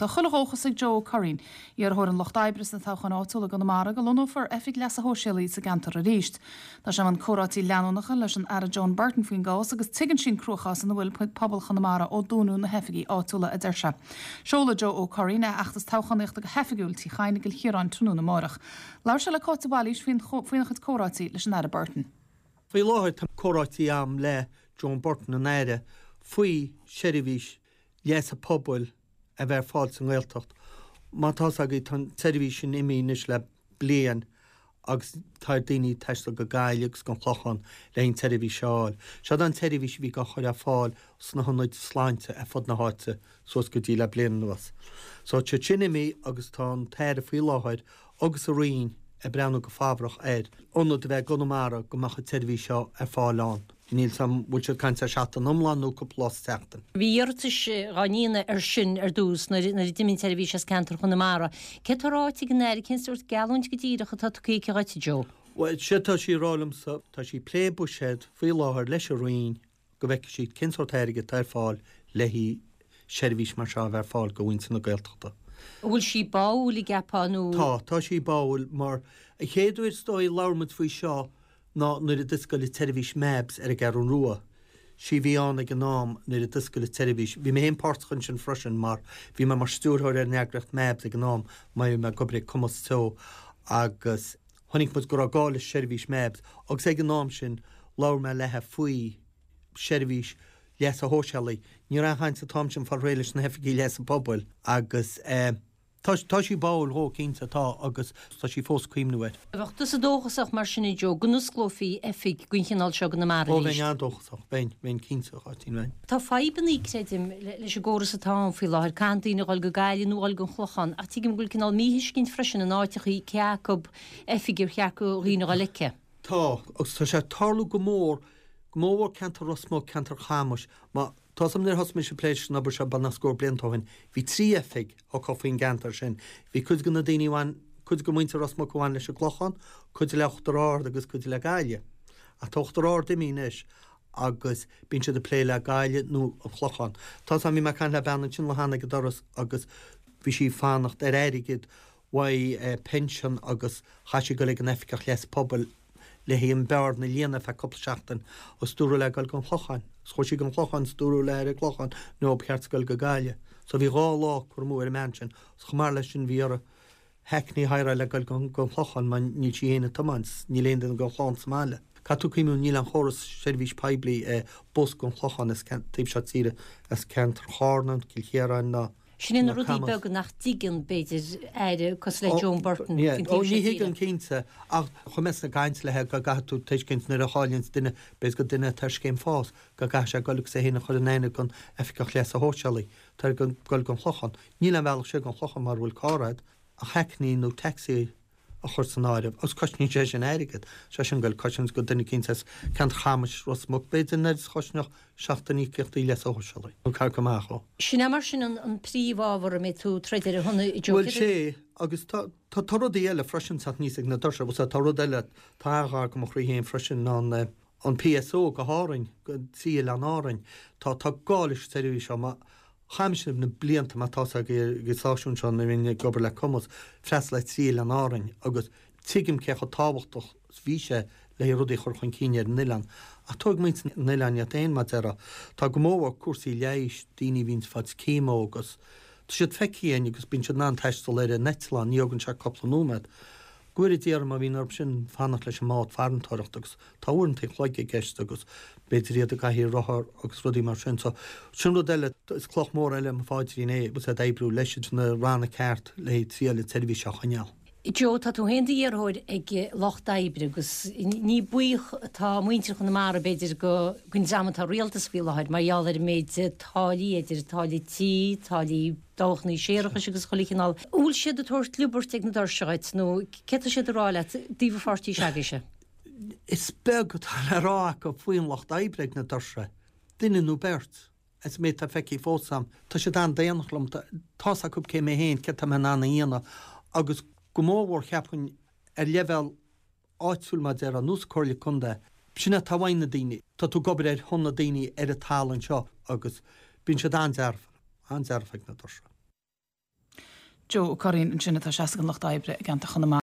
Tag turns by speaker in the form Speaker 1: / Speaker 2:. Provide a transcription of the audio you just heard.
Speaker 1: Tá chuile dhóchas ag Joe Ó Curraoin, iarrthóir an Lucht Oibre sna toghcháin áitiúla i gConamara, go lonnófar Oifig Leasa Shóisialaigh sa gceantar arís. Tá sé i mbun comhráití leanúnacha leis an Aire Joan Burton faoin gcás agus tuigeann sí an cruachás ina bhfuil pobal Chonamara ó dúnadh na hoifigí áitiúla, a deir sé. Seolfaidh Joe Ó Curraoin a fheachtas toghchánaíochta go hoifigiúil Tigh Chadhain i gCill Chiaráin tráthnóna amárach. Labhair sé le Cáit de Bhailís faoina chuid comhráití leis an Aire Burton.
Speaker 2: Faoi láthair tá comhráití a'm le Joan Burton, an Aire, faoi seirbhís leasa pobail a bheith ar fáil sa nGaeltacht. Mar tá's agaibh tá an tseirbhís sin imithe anois le bliain agus tá ar daoine taisteal go Gaillimh agus go an Clochán le an tseirbhís a fháil. Seod an tseirbhís a bhí á chur ar fáil sna hionaid sláinte ar fud na háite suas go dtí le bliain anuas. So tá sin imithe agus tá an tAire faoi láthair agus a Roinn ag breathnú go fabhrach ar ionad a bheith i gConamara go mbeadh an tseirbhís seo ar fáil ann. Níl 's a'm bhfuil siad ag caint ar seachtain iomlán nó cúpla lá sa tseachtain.
Speaker 3: Bhí iarratais dhá ndéanamh ar sin ar dtús nuair a d'imigh an tseirbhís as ceantar Chonamara. Céard tá ráite ag an Aire, cén sórt geallúint go díreach atá tugtha aici dhuit, a Joe?
Speaker 2: Bhuel, séard tá sí a rá liomsa, tá sí ag plé buiséad faoi láthair leis an Roinn go bhfeicfidh siad cén sórt airgid atá ar fáil le haghaidh seirbhís mar seo a bheith ar fáil do mhuintir na Gaeltachta.
Speaker 3: An bhfuil sí báúil, an gceapfá, nó?
Speaker 2: Tá, tá sí báúil mar an chéad uair is dóigh a labhair muid faoi seo ná nuair a d'oscail an tseirbhís MABS ar an gCeathrú Rua. Sí a bhí ann ag an am nuair a d'oscail an tseirbhís. Bhí mé féin páirteach ansin freisin mar bhí mé mar stiúrthóir ar an eagraíocht MABS ag an am mar bhí mé ag obair ag Cumas Teo agus Chonaic muid go raibh gá le seirbhís MABS agus ag an am sin labhair mé léithe faoi seirbhís leasa shóisialaigh. Ní raibh aon chaint an t-am sin fáil réidh leis na hoifigí leasa pobail agus tá tá sí báúil dhó cinnte, tá agus tá sí fós ag cuimhniú air.
Speaker 3: Bheadh tusa dóchasach mar sin a Joe go n-osclófaí oifig den chineál seo i gConamara
Speaker 2: Ó arís? bheinn an-dóchasach, bheinn, bheinn cinnte, a Cháitín, bheinn.
Speaker 3: Tá fadhbannaí, creidim, leis an gcóras atá ann faoi láthair. Caitheann daoine a dhul go Gaillimh nó a dhul gon Chlochán, ach tuigim go bhfuil cineál míthuiscint freisin in áiteachaí cé acu oifig ar cheart do dhaoine a dhul aici.
Speaker 2: Tá, agus tá sé ag tarlú go mór, go mórmhór ceantar Ros Muc, ceantar Chamuis. Mar tá 's a'm nuair a thosaigh mise ag plé leis an obair seo beagnach scór blianta ó shin, bhí 3 oifig acu faoin gceantar sin. Bhí cuid de na daoine a bhain, cuid de mhuintir Ros Muc a bhain leis an gClochán, cuid le Uachtar Ard agus cuid le Gaillimh. Ach tá Uachtar Ard imithe anois agus bíonn siad ag plé le Gaillimh nó an Clochán. Tá 's a'm, bhí mé ag caint le bean ansin lá cheana ag an doras agus bhí sí ag fanacht ar airgead uaidh pension agus chaith sí goil ag an oifigeach leas pobail le haghaidh an bhearna a líonadh ar feadh cúpla seachtain agus dúradh léi goil gon Chlochán. Agus chuaigh sí gon Chlochán is dúradh léi ar an gClochán no ba cheart di goil go Gaillimh. So bhí 2 lá curtha amú ar an mbean sin. Agus chomh maith leis sin bhí uirthi hackney a hireáil le goil gon Chlochán mar níl sí fhéin ag tiomáint, níl aon duine gon chlann sa mbaile. Caithfidh tú cuimhniú níl aon chóras seirbhís poiblí bus gon Chlochán as taobh seo tíre, as ceantar Chárna, Cill Chiaráin ná
Speaker 3: Sin é na rudaí beaga nach dtuigeann, b'fhéidir, aire cosúil le Joan Burton faoin
Speaker 2: taobh seo tíre. Ní thuigeann cinnte, ach chuaigh mé ag caint léithe go gcaithfidh tú tuiscint nuair a cháilíonns duine, b'fhéidir go duine atá ar scéim fás, go gcaithfidh sé goil agus é féin a chur in aithne gon oifigeach leasa shóisialaigh, tá air goil gon Chlochán. Níl aon bhealach siar gon Chlochán mara bhfuil carr a'd, ach hackney nó taxi a chur san áireamh, agus cosnaíonn sé sin airgead, sé sin goil cosaint go duine eicínt as ceantar Chamais, Ros Muc, b'fhéidir, an oiread is a chosnódh seachtain íocaíochtaí leasa shóisialaigh, nó ceathracha amach ó.
Speaker 3: Sin é mar sin an príomhábhar a mbeidh tú ag troid ar a shon, a
Speaker 2: Joe. Bhuel, sé, agus tá, tá, tá rudaí eile freisin ag teacht aníos ag na doirse, bhuel, tá rud eile, tá an-ghar go mo chroí féin freisin, ná an, an PSO go hÁrainn, go dtí Oileáin Árainn. Tá, tá gá leis an tseirbhís seo, mar chaith mise na blianta, mar tá 's agaibh ag an stáisiún seo nuair a bhínn ag obair le Cumas, freastal ar thrí Oileán Árainn agus tuigim cé chomh tábhachtach is bhí sé le haghaidh rudaí a chur chun cinn ar an oileán. Ach tógfaidh muintir na n-oileán iad féin, mar déarfá. Tá go mórmhór cúrsaí leighis, daoine a bhíonns ag fáilt chemo agus tá siad feicthe againn agus bíonn siad in ann taisteal ar an eitleán, ní thógann sé cúpla nóiméad. Go bhfóire Dia orthu má bhíonn orthu sin fanacht leis an mbád farantóireachta agus tá uaireanta an chloig i gceist agus b'fhéidir iad i gcathaoir rothar agus rudaí mar sin. So, sin rud eile, is cloch mhór eile i mo phaidrín é agus ag oibriú leis na ranna ceart le haghaidh triail an tseirbhís seo a choinneáil.
Speaker 3: Joe, tá tú féin i d'iarrthóir ag Lucht Oibre agus ní buíoch atá muintir Chonamara b'fhéidir go den dream atá i rialtas faoi láthair mar gheall ar an méid táillí, idir táillí tí, táillí dabhchannaí séarachais agus chuile chineál. An bhfuil siad ag tabhairt liobairt ag na doirse dhuit nó céard tá siad ag rá leat i dtaobh an pháirtí s'agaibhse?
Speaker 2: Is beag atá le rá acu faoin lucht oibre ag na doirse, duine nó beirt, as an méid atá feicthe fós a'm. Tá siad an-daonach liom, tá's acu cé mé féin, céard tá mé in ann a dhéanamh agus go mórmhór cheapfainn ar leibhéal áitiúil mar déarfá, nó sa Comhairle Contae. Sin é atá uaidh na daoine. Tá tú ag obair ar shon na daoine ar an talamh anseo agus bíonn siad an-dearfa, an-dearfa ag na doirse.
Speaker 1: Joe Ó Curraoin ansin atá ag seasamh don Lucht Oibre i gceantar Chonamara.